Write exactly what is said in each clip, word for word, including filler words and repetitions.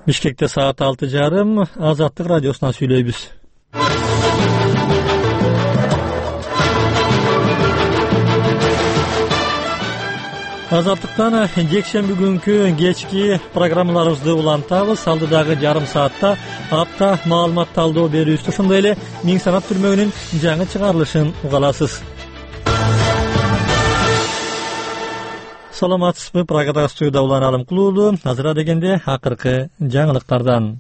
Бишкекте саат алты жарым, Азаттык радиосунан сүйлөйбүз. Азаттыктан жекшемби күнкү кечки программаларыбызды улантабыз. Алдыдагы жарым саатта апта маалымат талдоо берүүбүз, ошондой эле Миң санат түрмөгүнүн жаңы чыгарылышын уга аласыз. Саламатсызбы? Прагадагы студияда Улан Алымкулуулу. Азыр дегенде акыркы жаңылыктардан.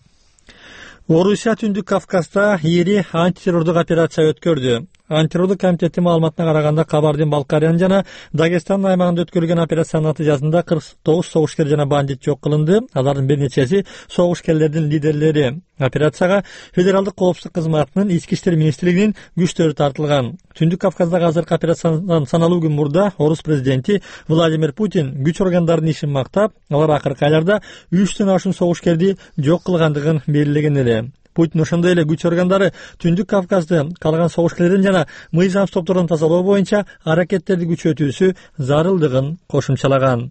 Орусия Түндүк Кавказда ири антитеррордук операция өткөрдү. Антитеррордук комитети маалыматына караганда Кабардин-Балкариянын жана Дагестан аймагында өткөрүлгөн операциянын натыйжасында кырк тогуз согушкер жана бандит жок кылынды. Алардын бир нечеси согушкерлердин лидерлери. Операцияга Федералдык коопсуздук кызматынын Ички иштер министрлигинин күчтөрү тартылган. Түндүк Кавказдагы азыркы операциядан саналуу күн мурда орус президенти Владимир Путин күч органдарынын ишин мактап, алар акыркы айларда үчтөн ашуун согушкерди жок кылгандыгын белгилеген эле. Путин ошондой эле күч органдары Түндүк Кавказды калган согушкерлерден жана мыйзамсыз топтордон тазалоо боюнча аракеттерди күчөтүүсү зарылдыгын кошумчалаган.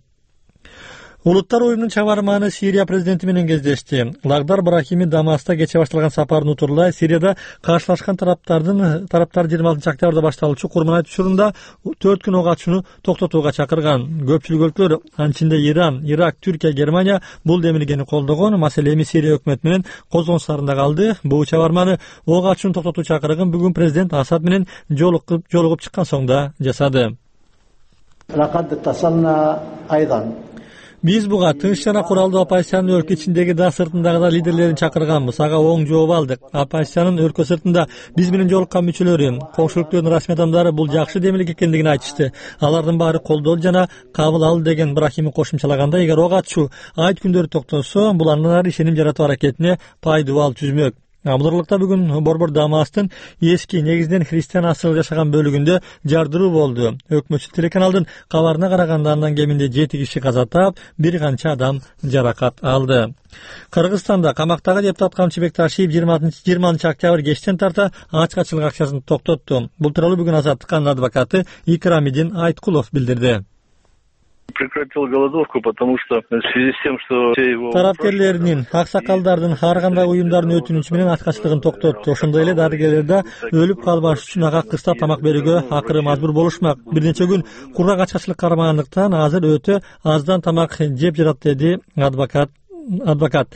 Улуттар уюмунун чабарманы Сирия президенти менен кездешти. Лагдар Брахими Дамаста кече башталган сапарын утурлай Сирияда каршылашкан тараптардын тараптар жыйырма алтынчы октябрда башталуучу курман учурунда төрт күн ок ачууну токтотууга чакырган. Көпчүлүк өлкөлөр, анын ичинде Иран, Ирак, Түркия, Германия бул демилгени колдогон. Маселе эми Сирия өкмөтү менен козгонуштарында калды. Бул чабарманы ок ачууну токтотуу чакырыгын бүгүн президент Асад менен жолугуп жолугуп чыккан соңда жасады. Биз буга тынч жана куралдуу оппозициянын өлкө ичиндеги да сыртындагы да лидерлерин чакырганбыз. Ага оң жооп алдык. Оппозициянын өлкө сыртында биз менен жолуккан мүчөлөрү, коңшулуктун расмий адамдары бул жакшы демилге экендигин айтышты. Алардын баары колдолду жана кабыл алды деген Брахими кошумчалаганда, эгер ок ачуу айт күндөрү токтосо, бул андан ары ишеним жаратуу аракетине пайдубал түзмөк. Амдырлыкта бүгүн борбор Дамастын эски негизинен христиан асыл жашаган бөлүгүндө жардыруу болду. Өкмөтчү телеканалдын кабарына караганда андан кеминде жети киши каза таап, бир канча адам жаракат алды. Кыргызстанда камактагы депутат Камчыбек Ташиев жыйырманчы октябрь кечтен тарта ачкачылык акциясын токтотту. Бул тууралуу бүгүн Азаттыктын адвокаты Икрамидин Айткулов билдирди. Прекратил голодовку, потому что в связи с тем, что все его... Тараптерлеринин, аксакалдардын, ар кандай уюмдардын өтүнүчү менен ачкачылыгын токтотту. Ошондой эле дарыгерлер да өлүп калбаш үчүн ага кыста тамак берүүгө акыры мажбур болушмак. Бир нече күн кургак ачкачылык кармагандыктан азыр өтө аздан тамак жеп жатат, деди адвокат. адвокат.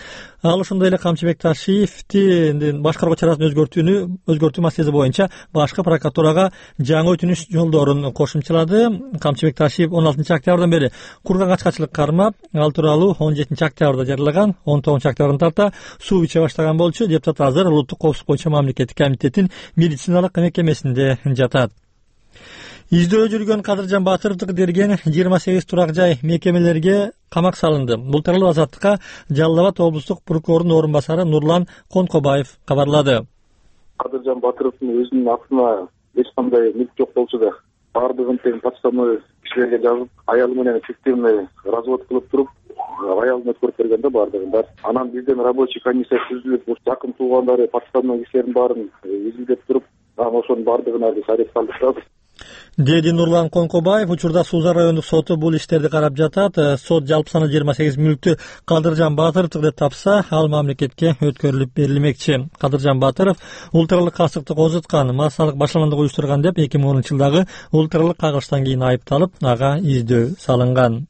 Ал ошондой эле Камчыбек Ташиевдин башкаруу чарасын өзгөртүүнү өзгөртүү маселеси боюнча башкы прокуратурага жаңы өтүнүч жолдорун кошумчалады. Камчыбек Ташиев он алтынчы октябрдан бери кургак ачкачылык кармап, ал тууралуу он жетинчи октябрда жарыялаган. он тогузунчу октябрдан тарта суу иче баштаган болчу. Депутат азыр улуттук коопсуздук боюнча мамлекеттик комитеттин медициналык мекемесинде жатат. Издөө жүргөн Кадыржан Батыровдук дерген жыйырма сегиз турак жай мекемелерге камак салынды. Бул тууралуу Азаттыкка Жалал Абад облустук прокурорунун орун басары Нурлан Конкобаев кабарлады. Кадыржан Батыровдун өзүнүн атына эч кандай мүлк жок болчу да, бардыгын тең подставной кишилерге жазып, аялы менен фиктивный развод кылып туруп, аялын өткөрүп берген да бардыгын бар. Анан бизден рабочий комиссия түзүлүп, жакын туугандары подставной кишилердин баарын изилдеп туруп, анан ошонун бардыгына биз арест алдык. Деди Нурлан Конкобаев. Учурда Суза райондук соту бул иштерди карап жатат. Сот жалпы саны жыйырма сегиз мүлктү Кадыржан Батыровдук деп тапса, ал мамлекетке өткөрүлүп берилмекчи. Кадыржан Батыров улуттаралык касыктык козуткан, массалык башламандык уюштурган деп эки миң онунчу жылдагы улуттаралык кагылыштан кийин айыпталып, ага издөө салынган.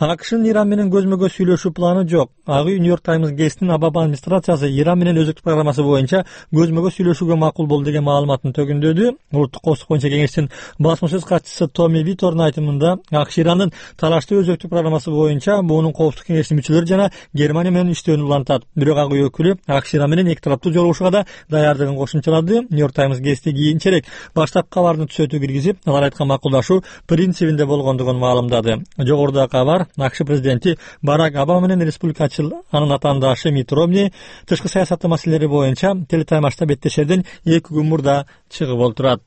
АКШнын Иран менен көзмө-көз сүйлөшүү планы жок. Ак үй Нью-Йорк Таймс гезитинин Обама администрациясы Иран менен өзөктүк программасы боюнча көзмө-көз сүйлөшүүгө макул болду деген маалыматын төгүндөдү. Улуттук коопсуздук боюнча кеңештин басмасөз катчысы Томми Витордун айтымында, АКШ Ирандын талаштуу өзөктүк программасы боюнча буунун коопсуздук кеңешинин мүчөлөрү жана Германия менен иштөөнү улантат. Бирок ак үй өкүлү АКШ Иран менен эки тараптуу жолугушууга да даярдыгын кошумчалады. Нью-Йорк Таймс гезити кийинчерээк баштапкы кабардын түзөтүү киргизип, алар айткан макулдашуу принцибинде болгондугун маалымдады. Жогоруда кабар АКШ президенти Барак Обама менен республикачыл анын атаандашы Митт Ромни тышкы саясаттын маселелери боюнча телетаймашта беттешерден эки күн мурда чыгып олтурат.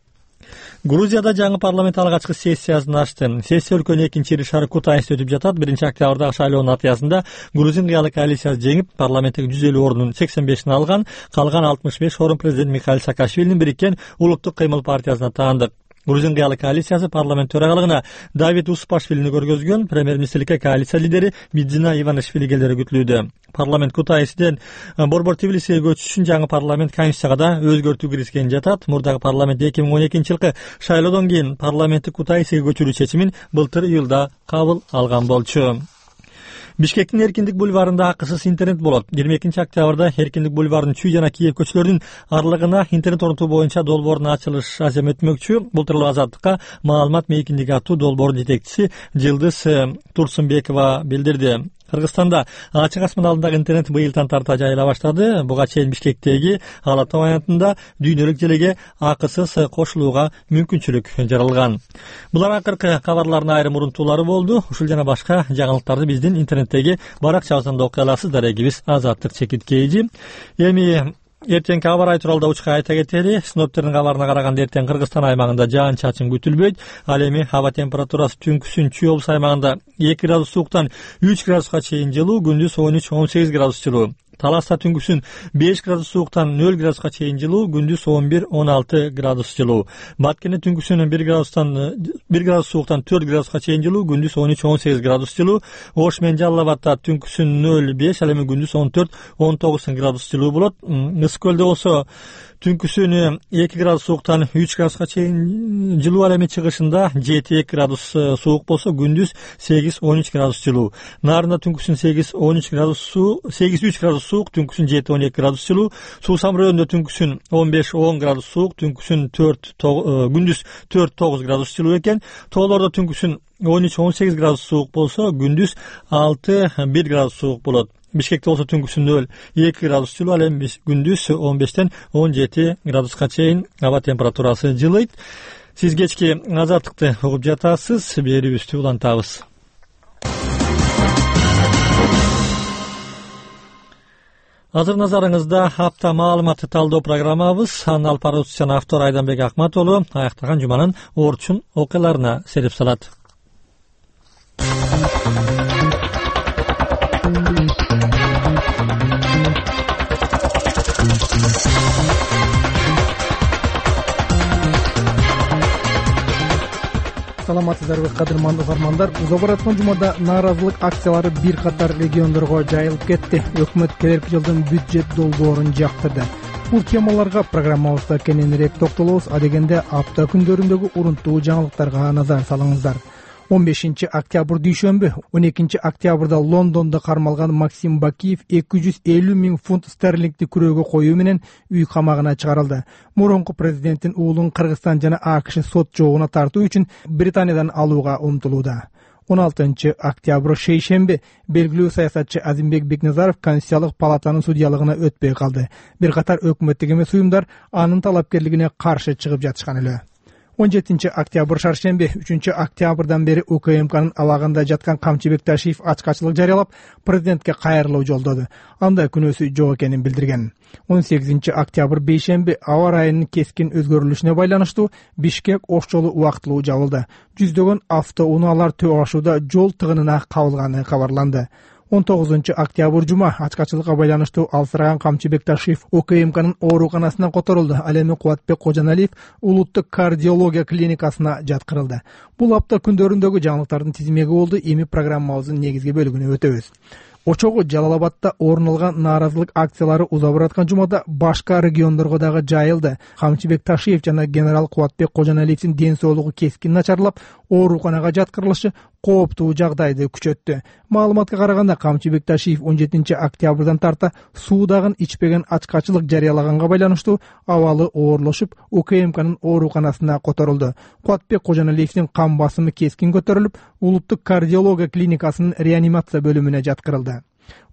Грузияда жаңы парламент алгачкы сессиясын ачты. Сессия өлкөнүн экинчи ири шаары Кутайсте өтүп жатат. биринчи октябрдагы шайлоонун натыйжасында Грузин кыялы коалициясы жеңип, парламенттеги жүз элүү ордунун сексен бешин алган. Калган алтымыш беш орун президент Михаил Саакашвилинин бириккен улуттук кыймыл партиясына таандык. Грузин кыялы коалициясы парламент төрагалыгына Давид Успашвилини көргөзгөн премьер-министрликке коалиция лидери Бидзина Иванишвили келери күтүлүүдө. Парламент Кутайсиден Борбор Тбилисиге көчүш үчүн жаңы парламент конституцияга да өзгөртүү киргизген жатат. Мурдагы парламент эки миң он экинчи жылкы шайлоодон кийин парламентти Кутайсиге көчүрүү чечимин былтыр июлда кабыл алган болчу. Бишкектин Эркиндик бульварында акысыз интернет болот. жыйырма экинчи октябрда Эркиндик бульварынын Чүй жана Киев көчөлөрүнүн аралыгына интернет орнотуу боюнча долбоордун ачылыш азем өтмөкчү. Былтыр Азаттыкка маалымат мейкиндиги аттуу долбоордун жетекчиси Жылдыз Турсунбекова билдирди. Кыргызстанда ачык асман алдындагы интернет быйылдан тарта жайыла баштады. Буга чейин Бишкектеги Ала Тоо аянтында дүйнөлүк желеге акысыз кошулууга мүмкүнчүлүк жаралган. Булар акыркы кабарлардын айрым урунтуулары болду. Ушул жана башка жаңылыктарды биздин интернеттеги баракчабыздан да окуй аласыздар. Эгибиз Азаттык чекиткейжи. Эми эртеңки аба ырайы тууралуу да учка айта кетели. Синоптиктердин кабарына караганда эртең Кыргызстан аймагында жаан-чачын күтүлбөйт. Ал эми аба температурасы түнкүсүн Чүй облус аймагында эки градус сууктан үч градуска чейин жылуу, күндүз он үч он сегиз градус жылуу. Таласта түнкүсүн беш градус сууктан нөл градуска чейин жылуу, күндүз он бир он алты градус жылуу. Баткене түнкүсүн бир градустан бир градус сууктан төрт градуска чейин жылуу, күндүз он үч он сегиз градус жылуу. Ош менен Жалал Абадта түнкүсүн нөл беш, ал эми күндүз он төрт он тогуз градус жылуу болот. Ысык көлдө болсо түнкүсүн эки градус сууктан үч градуска чейин жылуу, ал эми чыгышында жети эки градус суук болсо, күндүз сегиз он үч градус жылуу. Нарында түнкүсүн сегиз он үч градус суу, сегиз үч градус суук, түнкүсүн жети он эки градус жылуу. Суусам районунда түнкүсүн он беш он градус суук, түнкүсүн төрт күндүз төрт тогуз градус жылуу экен. Тоолордо түнкүсүн он үч он сегиз градус суук болсо, күндүз алты бир градус суук болот. Бишкекте болсо түнкүсүн нөл эки градус жылуу, ал эми күндүз он бештен он жети градуска чейин аба температурасы жылыйт. Сиз кечки Азаттыкты угуп жатасыз. Берүүбүздү улантабыз. Азыр назарыңызда апта маалыматты талдоо программабыз. Анын алып баруучусу жана автор Айданбек Акматоğlu аяктаган жуманын Орчун окуяларына сереп салат. Саламатсыздарбы, кадырмандуу угармандар. Уза бараткан жумада нааразылык акциялары бир катар региондорго жайылып кетти. Өкмөт келерки жылдын бюджет долбоорун жактырды. Бул темаларга программабызда кененирээк токтолобуз. Адегенде апта күндөрүндөгү урунттуу жаңылыктарга назар салыңыздар. он бешинчи октябрь дүйшөмбү, он экинчи октябрда Лондондо кармалган Максим Бакиев эки жүз элүү миң фунт стерлингди күрөөгө коюу менен үй камагына чыгарылды. Мурунку президенттин уулун Кыргызстан жана АКШ сот жоогуна тартуу үчүн Британиядан алууга умтулууда. он алтынчы октябрь шейшемби, белгилүү саясатчы Азимбек Бекназаров Конституциялык палатанын судьялыгына өтпөй калды. Бир катар өкмөттүк эмес уюмдар анын талапкерлигине каршы чыгып жатышкан эле. он жетинчи октябрь шаршемби, үчүнчү октябрдан бери УКМКнын абагында жаткан Камчыбек Ташиев ачкачылык жарыялап, президентке кайрылуу жолдоду. Анда күнөөсү жок экенин билдирген. он сегизинчи октябрь бейшемби, аба ырайынын кескин өзгөрүлүшүнө байланыштуу Бишкек Ош жолу убактылуу жабылды. Жүздөгөн автоунаалар төө ашууда жол тыгынына кабылганы кабарланды. он тогузунчу октябрь жума ачкачылыкка байланыштуу алсыраган Камчыбек Ташиев УКМКнын ооруканасынан которулду. Ал эми Кубатбек Кожоналиев улуттук кардиология клиникасына жаткырылды. Бул апта күндөрүндөгү жаңылыктардын тизмеги болду. Эми программабыздын негизги бөлүгүнө өтөбүз. Очогу Жалал Абадта орун алган нааразылык акциялары уза бараткан жумада башка региондорго дагы жайылды. Камчыбек Ташиев жана генерал Кубатбек Кожоналиевдин ден соолугу кескин начарлап, ооруканага жаткырылышы кооптуу жагдайды күчөттү. Маалыматка караганда Камчыбек Ташиев он жетинчи октябрдан тарта суудагын ичпеген ачкачылык жарыялаганга байланыштуу абалы оорлошуп, УКМКнын ооруканасына которулду. Кубатбек Кожоналиевдин кан басымы кескин көтөрүлүп, улуттук кардиология клиникасынын реанимация бөлүмүнө жаткырылды.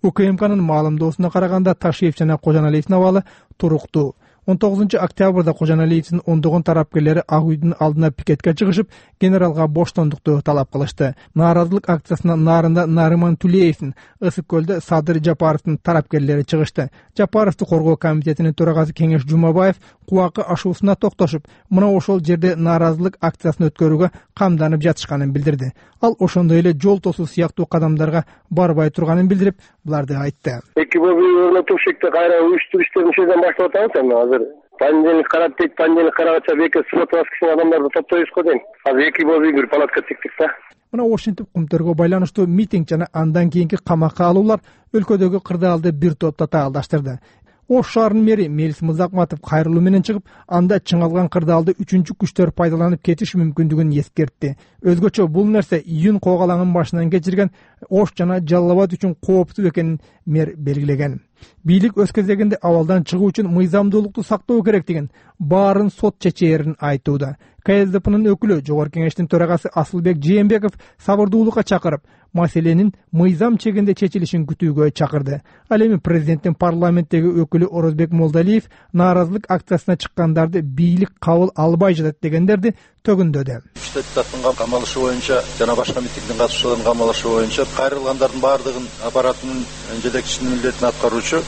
УКМКнын маалымдоосуна караганда Ташиев жана Кожоналиевдин абалы туруктуу. он тогузунчу октябрда Кожоналиевдин ондогон тарапкерлери Ак үйдүн алдына пикетке чыгышып, генералга боштондукту талап кылышты. Нааразылык акциясына Нарында Нарыман Тулеевдин, Ысык көлдө Садыр Жапаровдун тарапкерлери чыгышты. Жапаровду коргоо комитетинин төрагасы Кеңеш Жумабаев кубакы ашуусуна токтошуп, мына ошол жерде нааразылык акциясын өткөрүүгө камданып жатышканын билдирди. Ал ошондой эле жол тосуу сыяктуу кадамдарга барбай турганын билдирип, буларды айтты. Эки бөлүгү Тушекте кайра уюштуруш иштерин ушерден баштап атабыз эми азыр. Понедельник карап дейт, понедельник карагача беке суббота воскресенье адамдарды топтойбуз го дейм. Азыр эки болуп бир палатка тиктик да. Мына ошентип кумтөргө байланыштуу митинг жана андан кийинки камакка алуулар өлкөдөгү кырдаалды бир топ татаалдаштырды. Ош шаарынын мэри Мелис Мырзакматов кайрылуу менен чыгып, анда чыңалган кырдаалды үчүнчү күчтөр пайдаланып кетиш мүмкүндүгүн эскертти. Өзгөчө бул нерсе июнь когалаңын башынан кечирген Ош жана Жалал Абад үчүн кооптуу экенин мэр белгилеген. Бийлик өз кезегинде абалдан чыгуу үчүн мыйзамдуулукту сактоо керектигин, баарын сот чечээрин айтууда. ка эс дэ пнын өкүлү Жогорку Кеңештин төрагасы Асылбек Жээнбеков сабырдуулукка чакырып, маселенин мыйзам чегинде чечилишин күтүүгө чакырды. Ал эми президенттин парламенттеги өкүлү Орозбек Молдалиев нааразылык акциясына чыккандарды бийлик кабыл албай жатат дегендерди төгүндөдү. Депутаттын камалышы боюнча жана башка митингдин катышчыларынын камалышы боюнча кайрылгандардын баардыгын аппаратынын жетекчисинин милдетин аткаруучу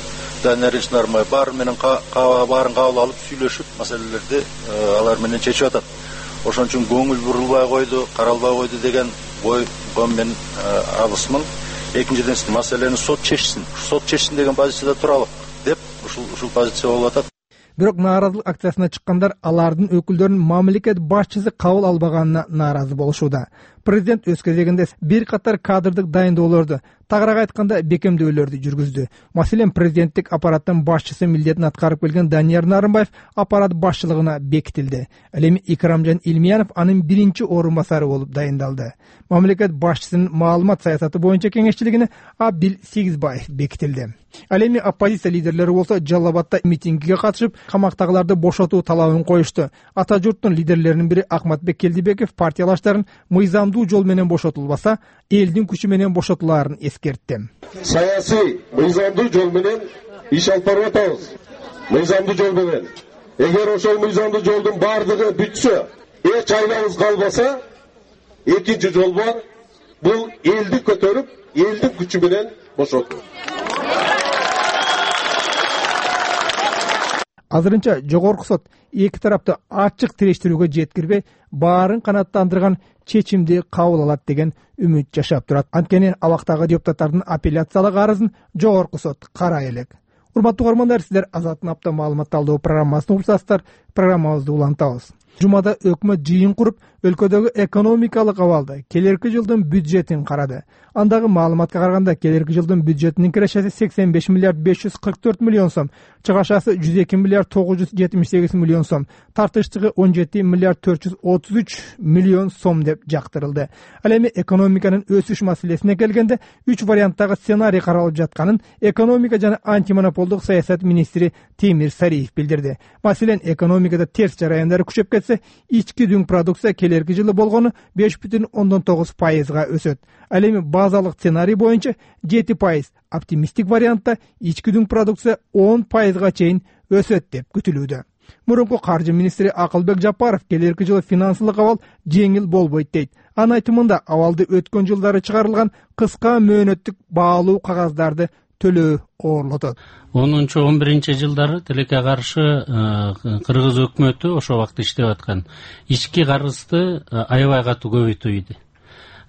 Данияр Ильич Нарымбаев баары менен баарын кабыл алып сүйлөшүп маселелерди алар менен чечип атат. Ошон үчүн көңүл бурулбай койду, каралбай койду деген ойго мен абысмын. Экинчиден маселени сот чечсин. Сот чечсин деген позицияда туралык деп ушул ушул позиция болуп атат. Бирок нааразылык акциясына чыккандар алардын өкүлдөрүн мамлекет башчысы кабыл албаганына нааразы болушууда. Президент өз кезегинде бир катар кадрдык дайындоолорду, тагыраак айтканда бекемдөөлөрдү жүргүздү. Маселен, президенттик аппараттын башчысы милдетин аткарып келген Данияр Нарымбаев аппарат башчылыгына бекитилди. Ал эми Икрамжан Илмиянов анын биринчи орун басары болуп дайындалды. Мамлекет башчысынын маалымат саясаты боюнча кеңешчилигине Абдил Сегизбаев бекитилди. Ал эми оппозиция лидерлери болсо Жалал Абадта митингиге катышып, камактагыларды бошотуу талабын коюшту. Ата журттун лидерлеринин бири Акматбек Келдибеков партиялаштарын мыйзамдуу жол менен бошотулбаса, элдин күчү менен бошотулаарын эскертти. Саясий мыйзамдуу жол менен иш алып барып атабыз. Мыйзамдуу жол менен. Эгер ошол мыйзамдуу жолдун бардыгы бүтсө, эч айлабыз калбаса, экинчи жол бар. Бул элди көтөрүп, элдин күчү менен бошотуу. Азырынча жогорку сот эки тарапты ачык тирештирүүгө жеткирбей, баарын канааттандырган чечимди кабыл алат деген үмүт жашап турат. Анткени абактагы депутаттардын апелляциялык арызын жогорку сот карай элек. Урматтуу көрөрмандар, сиздер Азаттын апта маалымат талдоо программасын угушасыздар. Программабызды улантабыз. Жумада өкмөт жыйын куруп, өлкөдөгү экономикалык абалды, келерки жылдын бюджетин карады. Андагы маалыматка караганда, келерки жылдын бюджетинин кирешеси сексен беш миллиард беш жүз кырк төрт миллион сом, чыгашасы жүз эки миллиард тогуз жүз жетимиш сегиз миллион сом, тартыштыгы он жети миллиард төрт жүз отуз үч миллион сом деп жактырылды. Ал эми экономиканын өсүш маселесине келгенде үч варианттагы сценарий каралып жатканын экономика жана антимонополдук саясат министри Темир Сариев билдирди. Маселен, экономикада терс жараяндары күчөп кетсе, ички дүң продукция келерки жылы болгону беш бүтүн ондон тогуз пайызга өсөт. Ал эми базалык сценарий боюнча жети пайыз, оптимисттик вариантта ички дүң продукция он пайызга чейин өсөт деп күтүлүүдө. Мурунку каржы министри Акылбек Жапаров келерки жылы финансылык абал жеңил болбойт дейт. Анын айтымында абалды өткөн жылдары чыгарылган кыска мөөнөттүк баалуу кагаздарды төлөө оорлотот. онунчу он биринчи жылдары тилекке каршы кыргыз өкмөтү ошол убакта иштеп аткан ички карызды аябай катуу көбөйтүү иди.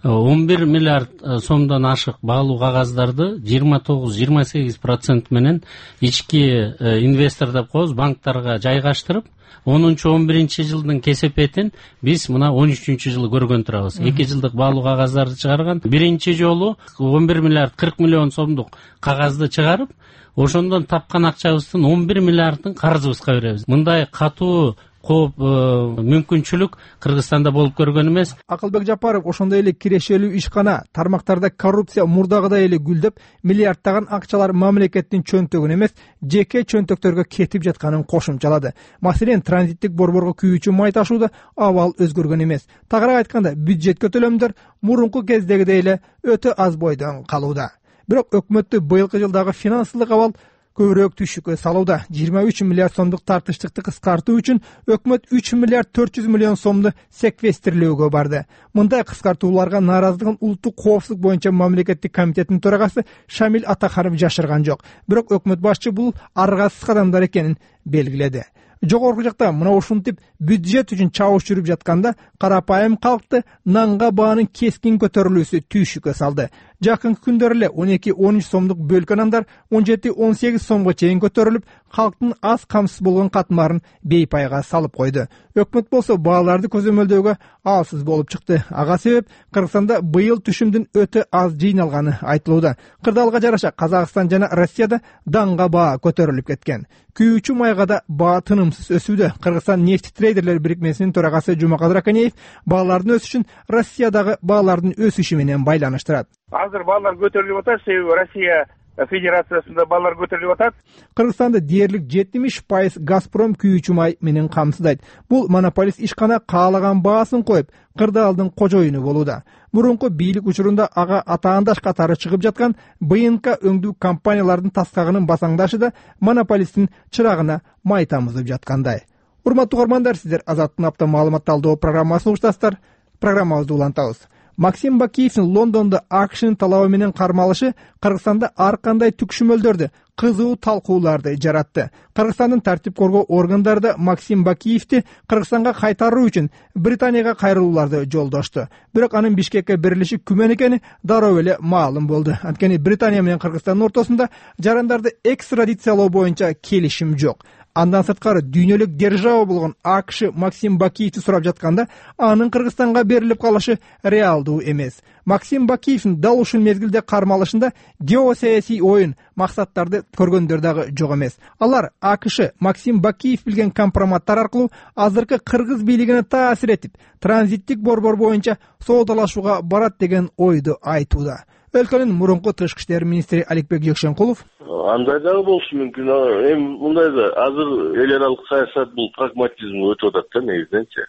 он бир миллиард сомдон ашык баалуу кагаздарды жыйырма тогуз жыйырма сегиз процент менен ички инвестор деп коебуз, банктарга жайгаштырып, онунчу он биринчи жылдын кесепетин биз мына он үчүнчү жылы көргөн турабыз. эки жылдык баалуу кагаздарды чыгарган. Биринчи жолу он бир миллиард кырк миллион сомдук кагазды чыгарып, ошондон тапкан акчабыздын он бир миллиардын карызыбызга беребиз. Мындай катуу кооп мүмкүнчүлүк Кыргызстанда болуп көргөн эмес. Акылбек Жапаров ошондой эле кирешелүү ишкана, тармактарда коррупция мурдагыдай эле гүлдөп, миллиардтаган акчалар мамлекеттин чөнтөгүнө эмес, жеке чөнтөктөргө кетип жатканын кошумчалады. Маселен, транзиттик борборго күйүүчү май ташууда абал өзгөргөн эмес. Тагыраак айтканда, бюджетке төлөмдөр мурунку кездегидей эле өтө аз бойдон калууда. Бирок өкмөттү быйылкы жылдагы финансылык абал көбүрөөк түшүккө салууда. жыйырма үч миллиард сомдук тартыштыкты кыскартуу үчүн өкмөт үч миллиард төрт жүз миллион сомду секвестирлөөгө барды. Мындай кыскартууларга нааразылыгын улуттук коопсуздук боюнча мамлекеттик комитеттин төрагасы Шамил Атаханов жашырган жок. Бирок өкмөт башчы бул аргасыз кадамдар экенин белгиледи. Жогорку жакта мына ушинтип бюджет үчүн чабыш жүрүп жатканда, карапайым калкты нанга баанын кескин көтөрүлүүсү түйшүккө салды. Жакынкы күндөр эле он эки он үч сомдук бөлкө нандар он жети он сегиз сомго чейин көтөрүлүп, калктын аз камсыз болгон катмарын бейпайга салып койду. Өкмөт болсо бааларды көзөмөлдөөгө алсыз болуп чыкты. Ага себеп Кыргызстанда быйыл түшүмдүн өтө аз жыйналганы айтылууда. Кырдаалга жараша Казакстан жана Россияда даңга баа көтөрүлүп кеткен. Күйүүчү майга да баа тынымсыз өсүүдө. Кыргызстан нефть трейдерлер бирикмесинин төрагасы Жумакадыр Аканеев баалардын өсүшүн Россиядагы баалардын өсүшү менен байланыштырат. Азыр баалар көтөрүлүп атат, себеби Россия Федерациясында баалар көтөрүлүп атат. Кыргызстанды дээрлик жетимиш пайыз Газпром күйүүчү май менен камсыздайт. Бул монополист ишкана каалаган баасын коюп, кырдаалдын кожоюну болууда. Мурунку бийлик учурунда ага атаандаш катары чыгып жаткан БНК өңдүү компаниялардын таскагынын басаңдашы да монополисттин чырагына май тамызып жаткандай. Урматтуу угармандар, сиздер Азаттын апта маалымат талдоо программасын угуштасыздар. Программабызды улантабыз. Максим Бакиевдин Лондондо АКШнын талабы менен кармалышы Кыргызстанда ар кандай түкшүмөлдөрдү, кызуу талкууларды жаратты. Кыргызстандын тартип коргоо органдары да Максим Бакиевди Кыргызстанга кайтаруу үчүн Британияга кайрылууларды жолдошту. Бирок анын Бишкекке берилиши күмөн экени дароо эле маалым болду. Анткени Британия менен Кыргызстандын ортосунда жарандарды экстрадициялоо боюнча келишим жок. Андан сырткары дүйнөлүк держава болгон АКШ Максим Бакиевди сурап жатканда, анын Кыргызстанга берилип калышы реалдуу эмес. Максим Бакиевдин дал ушул мезгилде кармалышында геосаясий оюн, максаттарды көргөндөр дагы жок эмес. Алар АКШ Максим Бакиев билген компроматтар аркылуу азыркы кыргыз бийлигине таасир этип, транзиттик борбор боюнча соодалашууга барат деген ойду айтууда. Өлкөнүн мурунку тышкы иштер министри Аликбек Жекшенкулов: андай дагы болушу мүмкүн. Эми мындай да азыр эл аралык саясат бул прагматизмге өтүп атат да негизиненчи.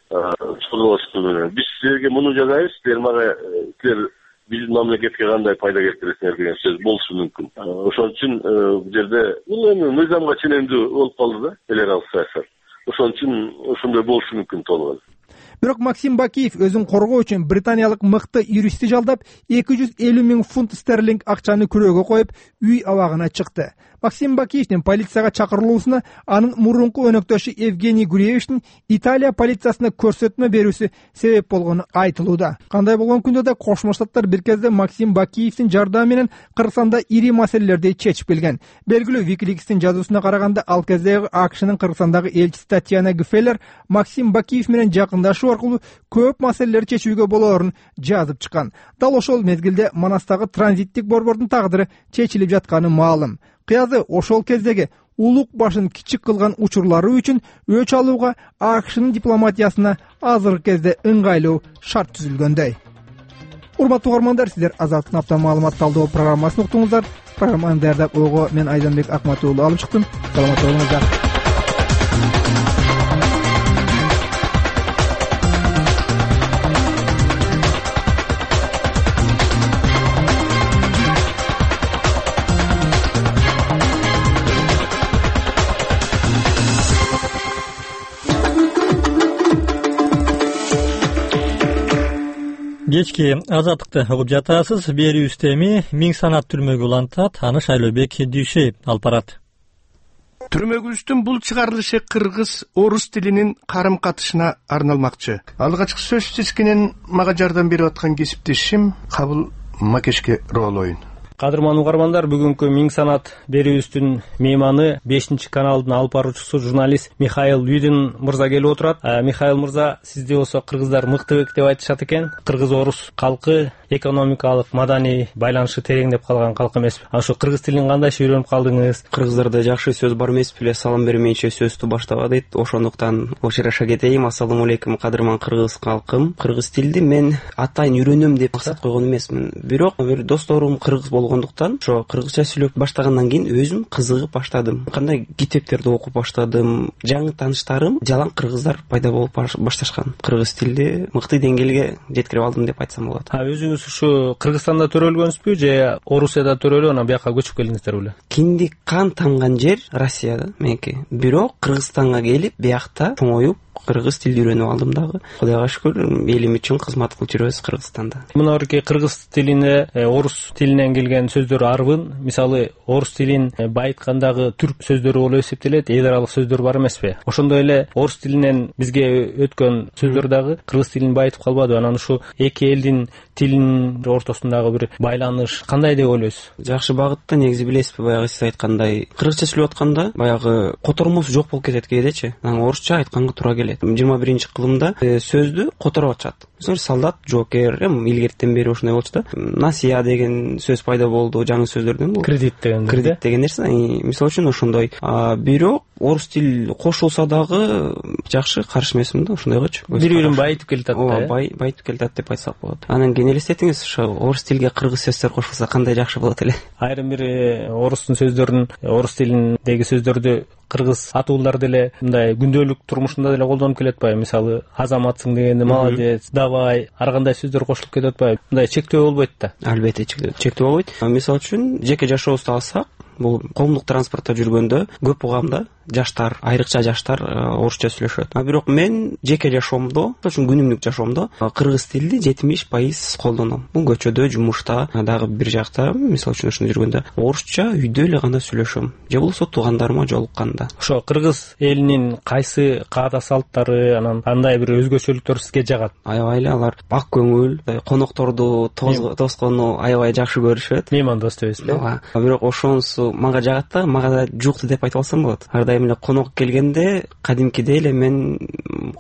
Соодалашуу менен биз силерге муну жасайбыз, силер мага силер биздин мамлекетке кандай пайда келтиресиңер деген сөз болушу мүмкүн. Ошон үчүн бул жерде бул эми мыйзамга ченемдүү болуп калды да эл аралык саясат. Ошон үчүн ошондой болушу мүмкүн толгой. Бирок Максим Бакиев өзүн коргоо үчүн британиялык мыкты юристти жалдап эки жүз элүү миң фунт стерлинг акчаны күрөөгө коюп, үй абагына чыкты. Максим Бакиевдин полицияга чакырылуусуна анын мурунку өнөктөшү Евгений Гуревичтин Италия полициясына көрсөтмө берүүсү себеп болгону айтылууда. Кандай болгон күндө да Кошмо Штаттар бир кезде Максим Бакиевдин жардамы менен Кыргызстанда ири маселелерди чечип келген. Белгилүү Wikileaks'тин жазуусуна караганда, ал кездеги АКШнын Кыргызстандагы элчиси Татьяна Гфеллер Максим Бакиев менен жакындашуу аркылуу көп маселелерди чечүүгө болоорун жазып чыккан. Дал ошол мезгилде Манастагы транзиттик борбордун тагдыры чечилип жатканы маалым. Кыязы ошол кездеги улук башын кичик кылган учурлары үчүн өч алууга АКШнын дипломатиясына азыркы кезде ыңгайлуу шарт түзүлгөндөй. Урматтуу угармандар, сиздер Азаттын апта маалымат талдоо программасын уктуңуздар. Программаны даярдап ойго мен Айданбек Акматов уулу алып чыктым. Саламат болуңуздар. Кечки Азаттыкты угуп жатасыз. Берүүбүздө эми миң санат түрмөгү улантат. Аны Шайлообек Дүйшеев алып барат. Түрмөгүбүздүн бул чыгарылышы кыргыз орус тилинин карым катышына арналмакчы. Алгачкы сөз тизгинин мага жардам берип аткан кесиптешим Кабыл Макешке роолойун. Кадырман угармандар, бүгүнкү миң санат берүүбүздүн мейманы бешинчи каналдын алып баруучусу журналист Михаил Лүйдин мырза келип отурат. Михаил мырза, сизди болсо кыргыздар мыктыбек деп айтышат экен. Кыргыз орус калкы экономикалык, маданий байланышы тереңдеп калган калк эмес. Ошо кыргыз тилин кандайча үйрөнүп калдыңыз? Кыргыздарда жакшы сөз бар эмес беле, салам бермейинче сөздү баштаба дейт. Ошондуктан очураша кетейин. Ассаламу алейкум кадырман кыргыз калкым. Кыргыз тилди мен атайын үйрөнөм деп максат койгон эмесмин. Бирок бир досторум кыргыз болгондуктан ошо кыргызча сүйлөп баштагандан кийин өзүм кызыгып баштадым. Кандай китептерди окуп баштадым. Жаңы тааныштарым жалаң кыргыздар пайда болуп башташкан. Кыргыз тилди мыкты деңгээлге жеткирип алдым деп айтсам болот. А өзүңүз ушу Кыргызстанда төрөлгөнсүзбү же Орусияда төрөлүп анан бияка көчүп келдиңиздер беле? Киндик кан тамган жер Россияда меники. Бирок Кыргызстанга келип биякта чоңоюп кыргыз тилди үйрөнүп алдым дагы. Кудайга шүкүр, элим үчүн кызмат кылып жүрөбүз Кыргызстанда. Мына орки кыргыз тилине орус тилинен келген сөздөр арбын. Мисалы, орус тилин байыткандагы түрк сөздөрү болуп эсептелет, эл аралык сөздөр бар эмеспи? Ошондой эле орус тилинен бизге өткөн сөздөр дагы кыргыз тилин байытып калбадыбы? Анан ушу эки элдин тилинин ортосундагы бир байланыш кандай деп ойлойсуз? Жакшы багытта, негизи билесизби, баягы сиз айткандай, кыргызча сүйлөп атканда баягы котормосу жок болуп кетет кээдечи. Анан орусча айтканга туура келет. жыйырма биринчи кылымда сөздү которуп атышат. Мисалы, солдат, жоокер, эми илгертен бери ошондой болчу да. Насия деген сөз пайда болду, жаңы сөздөрдөн бул. Кредит деген. Кредит деген нерсе. Мисалы үчүн ошондой. Бирок орус тил кошулса дагы жакшы, каршы эмесмин да ошондойгочу. Бири-бирин байытып келатат да. Ооба, байытып келатат деп айтсак болот. Анан кийин элестетиңиз, ошо орус тилге кыргыз сөздөр кошулса кандай жакшы болот эле. Айрым бир орустун сөздөрүн, орус тилиндеги сөздөрдү кыргыз атуулар деле мындай күндөлүк турмушунда деле колдонуп келет атпайбы? Мисалы, азаматсың дегенде молодец, давай, ар кандай сөздөр кошулуп кетип атпайбы? Мындай чектөө болбойт да. Албетте чектөө болбойт. Мисалы үчүн жеке жашообузду алсак, бул коомдук транспортто жүргөндө көп угамда жаштар, айрыкча жаштар орусча сүйлөшөт. А бирок мен жеке жашоомдо, ошон күнүмдүк жашоомдо кыргыз тилди жетимиш пайыз колдоном. Бул көчөдө, жумушта, дагы бир жакта, мисалы үчүн ошондо жүргөндө орусча үйдө эле гана сүйлөшөм. Же болбосо туугандарыма жолукканда. Ошо кыргыз элинин кайсы каада салттары, анан кандай бир өзгөчөлүктөр сизге жагат? Аябай эле алар ак көңүл, конокторду тоскону аябай жакшы көрүшөт. Меймандос дейсизби? Ооба. Бирок ошонусу мага жагат да, мага да жукты деп айтып алсам болот. Ар дайым эле конок келгенде кадимкидей эле мен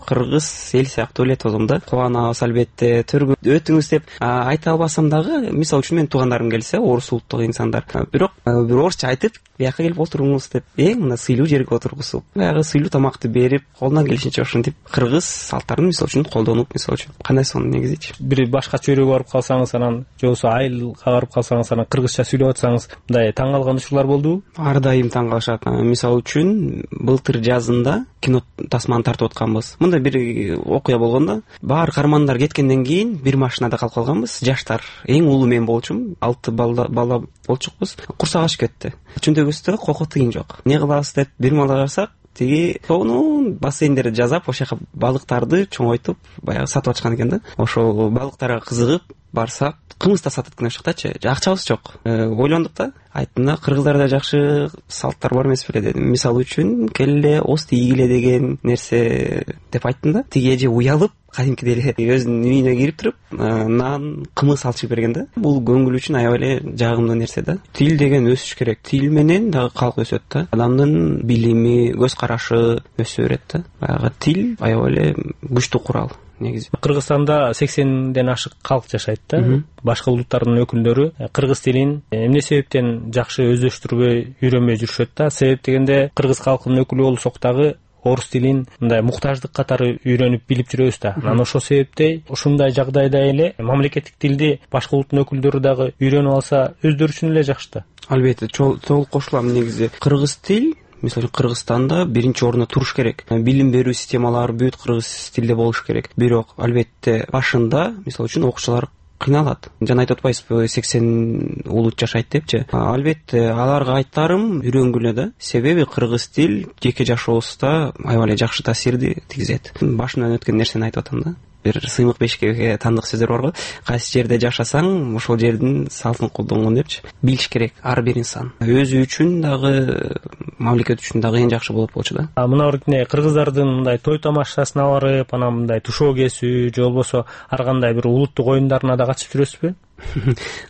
кыргыз эл сыяктуу эле тозом да. Кубанабыз албетте, өтүңүз деп айта албасам дагы, мисалы үчүн мен туугандарым келсе, орус улуттук инсандар, бирок бир орусча айтып, бияка келип отуруңуз деп, эң мына сыйлуу жерге отургузуп, баягы сыйлуу тамакты берип, колунан келишинче ошентип кыргыз салттарын мисалы үчүн колдонуп, мисалы үчүн кандай сонун негизичи. Бир башкача өрөөгө барып калсаңыз, анан же болбосо айылга барып калсаңыз, анан кыргызча сүйлөп атсаңыз, мындай таң калган учурлар болдубу? Ар дайым таң калышат. Мисалы үчүн былтыр жазында кино тасманы тартып атканбыз. Мындай бир окуя болгондо, баары каармандар кеткенден кийин бир машинада калып калганбыз. Жаштар, эң улуу мен болчумун, алты бала бала болчукпуз. Курсак ачып кетти. Чүнтөгүбүздө кoko тыйын жок. Не кылабыз деп бир мала карасак, тиги сонун бассейндерди жасап, ошол жака балыктарды чоңойтуп, баягы сатып атышкан экен да. Ошол балыктарга кызыгып барсак, кымыз да сатат экен ошол жактачы. Акчабыз жок. Ойлондук да, айттым да, кыргыздарда жакшы салттар бар эмес беле дедим. Мисалы үчүн, келе оз тийгиле деген нерсе деп айттым да. Тиги эже уялып, кадимкидей эле өзүнүн үйүнө кирип туруп, нан, кымыз алчып берген да. Бул көңүл үчүн аябай эле жагымдуу нерсе да. Тил деген өсүш керек. Тил менен дагы калк өсөт да. Адамдын билими, көз карашы өсө берет да. Баягы тил аябай эле күчтүү курал. Негизи Кыргызстанда сексенден ашык калк жашайт да. Башка улуттардын өкүлдөрү кыргыз тилин эмне себептен жакшы өздөштүрбөй, үйрөнбөй жүрүшөт да. Себеп дегенде кыргыз калкынын өкүлү болсок дагы орус тилин мындай муктаждык катары үйрөнүп билип жүрөбүз да. Анан ошол себептей ушундай жагдайда эле мамлекеттик тилди башка улуттун өкүлдөрү дагы үйрөнүп алса өздөрү үчүн эле жакшы да. Албетте, толук кошулам. Негизи кыргыз тил мисалы Кыргызстанда биринчи орунда туруш керек. Билим берүү системалары бүт кыргыз тилде болуш керек. Бирок албетте башында мисалы үчүн окуучулар кыйналат. Жана айтып атпайсызбы, сексен улут жашайт депчи. Албетте аларга айтарым, үйрөнгүлө да. Себеби кыргыз тил жеке жашообузда аябай эле жакшы таасирди тийгизет. Башымдан өткөн нерсени айтып атам да. Бир сыймык бешикке тандык сөздөр барго. Кайсы жерде жашасаң, ошол жердин салтын колдонгон депчи. Билиш керек ар бир инсан. Өзү үчүн дагы, мамлекет үчүн дагы эң жакшы болот болчу да. А мына өркүнө кыргыздардын мындай той тамашасына барып, анан мындай тушоо кесүү, же болбосо ар кандай бир улуттук оюндарына да катышып жүрөсүзбү?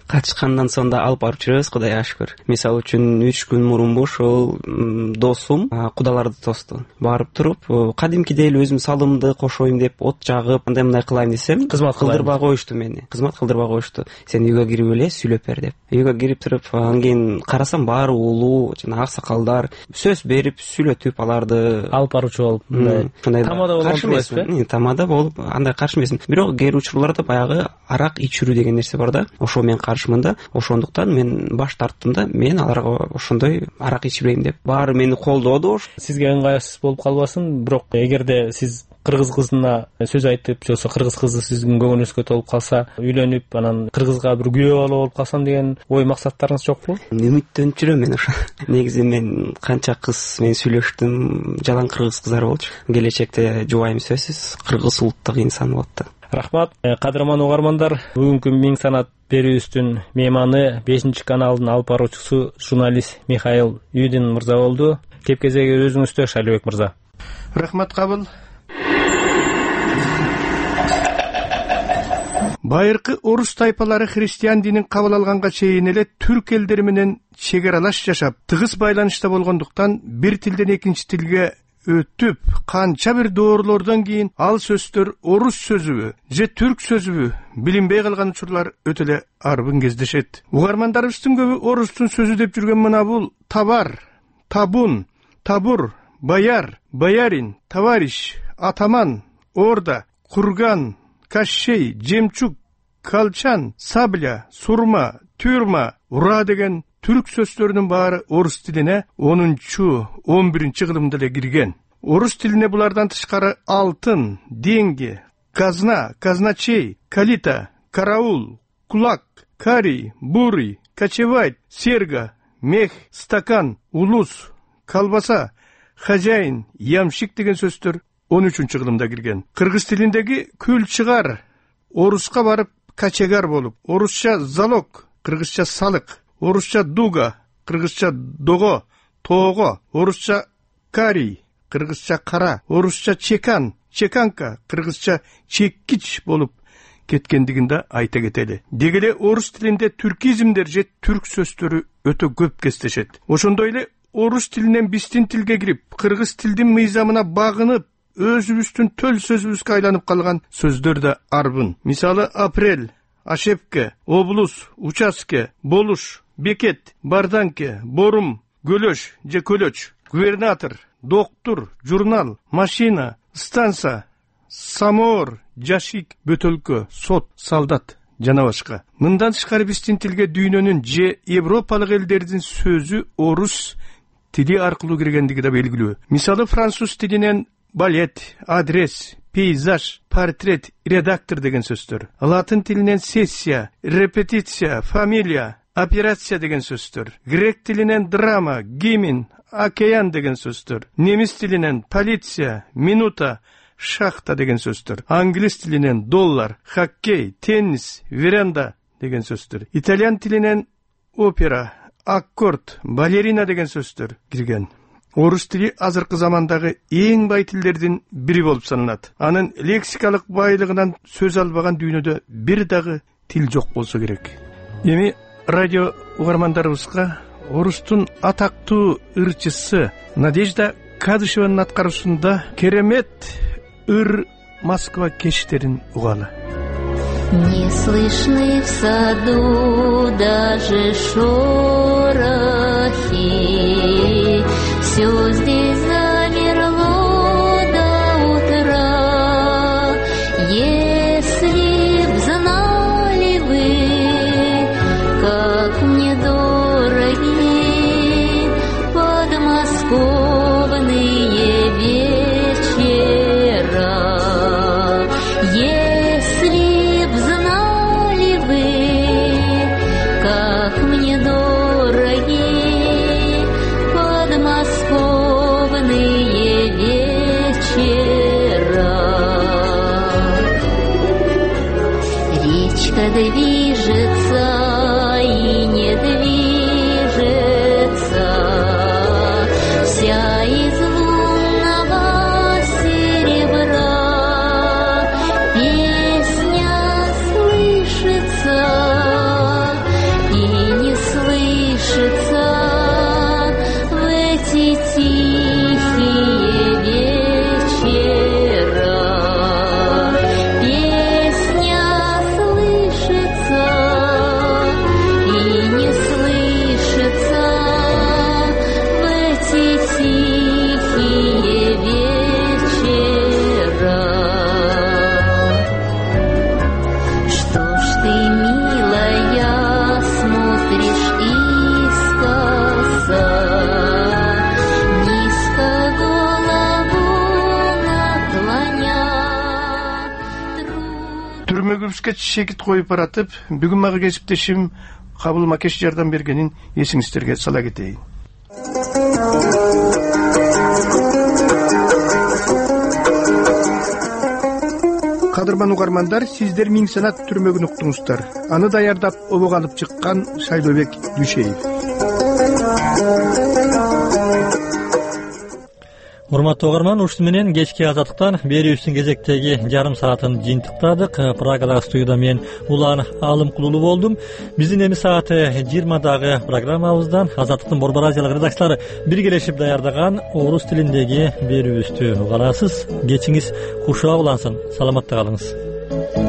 Катышкандан соң да алып барып жүрөбүз, Кудайга шүкүр. Мисалы үчүн үч күн мурунбу ошол досум кудаларды тосту. Барып туруп, кадимкидей эле өзүм салымды кошоюм деп от жагып, андай мындай кылайын десем, кызмат кылдырбай коюшту мени. Кызмат кылдырбай коюшту. Сен үйгө кирип эле сүйлөп бер деп. Үйгө кирип туруп, анан кийин карасам баары улуу, жана аксакалдар сөз берип, сүйлөтүп аларды алып баруучу болуп, мындай тамада болуп эмеспи? Тамада болуп, андай каршы эмесмин. Бирок кээ бир учурларда баягы арак ичирүү деген нерсе бар да. да, ошо мен каршымын да. Ошондуктан мен баш тарттым да, мен аларга ошондой арак ичпейм деп. Баары мени колдоду. Сизге ыңгайсыз болуп калбасын, бирок эгерде сиз кыргыз кызына сөз айтып, же болбосо кыргыз кызы сиздин көңүлүңүзгө толуп калса, үйлөнүп, анан кыргызга бир күйөө бала болуп калсам деген ой максаттарыңыз жокпу? Үмүттөнүп жүрөм мен ошо. Негизи мен канча кыз мен сүйлөштүм, жалаң кыргыз кыздар болчу. Келечекте жубайым сөзсүз кыргыз улуттук инсан болот да. Рахмат. Кадырман угармандар, бүгүнкү Миң санат берүүбүздүн мейманы бешинчи каналдын алып баруучусу журналист Михаил Юдин мырза болду. Кеп кезеги өзүңүздө, Шалибек мырза. Рахмат кабыл. Байыркы орус тайпалары христиан динин кабыл алганга чейин эле түрк элдери менен чегер алаш жашап, тыгыз байланышта болгондуктан бир тилден экинчи тилге өтүп, канча бир доорлордон кийин ал сөздөр орус сөзүбү же түрк сөзүбү билинбей калган учурлар өтө эле арбын кездешет. Угармандарыбыздын көбү орустун сөзү деп жүргөн мына бул табар, табун, табур, баяр, боярин, товарищ, атаман, орда, курган, кащей, жемчуг, калчан, сабля, сурма, тюрма, ура деген түрк сөздөрүнүн баары орус тилине онунчу он биринчи кылымда эле кирген. Орус тилине булардан тышкары алтын, деньги, казна, казначей, калита, караул, кулак, карий, бурый, кочевать, серга, мех, стакан, улус, колбаса, хозяин, ямщик деген сөздөр он үчүнчү кылымда кирген. Кыргыз тилиндеги күл чыгар оруска барып качегар болуп, орусча залог, кыргызча салык, орусча дуга, кыргызча дого, тоого, орусча карий, кыргызча кара, орусча чекан, чеканка, кыргызча чеккич болуп кеткендигин да айта кетели. Деги эле орус тилинде түркизмдер же түрк сөздөрү өтө көп кездешет. Ошондой эле орус тилинен биздин тилге кирип, кыргыз тилдин мыйзамына багынып, өзүбүздүн төл сөзүбүзгө айланып калган сөздөр да арбын. Мисалы апрель, ошепке, облус, участке, болуш, бекет, барданке, борум, көлөш же көлөч, губернатор, доктур, журнал, машина, станса, самоор, жашик, бөтөлкө, сот, солдат жана башка. Мындан тышкары биздин тилге дүйнөнүн же европалык элдердин сөзү орус тили аркылуу киргендиги да белгилүү. Мисалы француз тилинен балет, адрес, пейзаж, портрет, редактор деген сөздөр. Латын тилинен сессия, репетиция, фамилия, операция деген сөздөр. Грек тилинен драма, гимн, океан деген сөздөр. Немис тилинен полиция, минута, шахта деген сөздөр. Англис тилинен доллар, хоккей, теннис, веранда деген сөздөр. Итальян тилинен опера, аккорд, балерина деген сөздөр кирген. Орус тили азыркы замандагы эң бай тилдердин бири болуп саналат. Анын лексикалык байлыгынан сөз албаган дүйнөдө бир дагы тил жок болсо керек. Эми радио угармандарыбызга орустун атактуу ырчысы Надежда Кадышеванын аткаруусунда керемет ыр Москва кечтерин угалы. Не слышны в саду даже шорохи, все здесь замерло до утра. Если б знали вы, как мне дороги подмосковные вечера, если б знали вы, как мне дороги подмосковные вечера. Речка движется и не движется, вся из лунного серебра. Песня слышится и не слышится в эти тихие вечера. Песня слышится кесипке чекит коюп баратып, бүгүн мага кесиптешим Кабыл Макеш жардам бергенин эсиңиздерге сала кетейин. Кадырман угармандар, сиздер Миң Санат түрмөгүн уктуңуздар. Аны даярдап обого алып чыккан Шайлообек Дүйшеев. Урматтуу угарман, ушуну менен кечки азаттыктан берүүбүздүн кезектеги жарым саатын жыйынтыктадык. Прагадагы студияда мен Улан Алымкулуу болдум. Биздин эми сааты жыйырмадагы программабыздан Азаттыктын Борбор Азиялык редакциялары биргелешип даярдаган орус тилиндеги берүүбүздү угарасыз. Кечиңиз кушуа улансын. Саламатта калыңыз.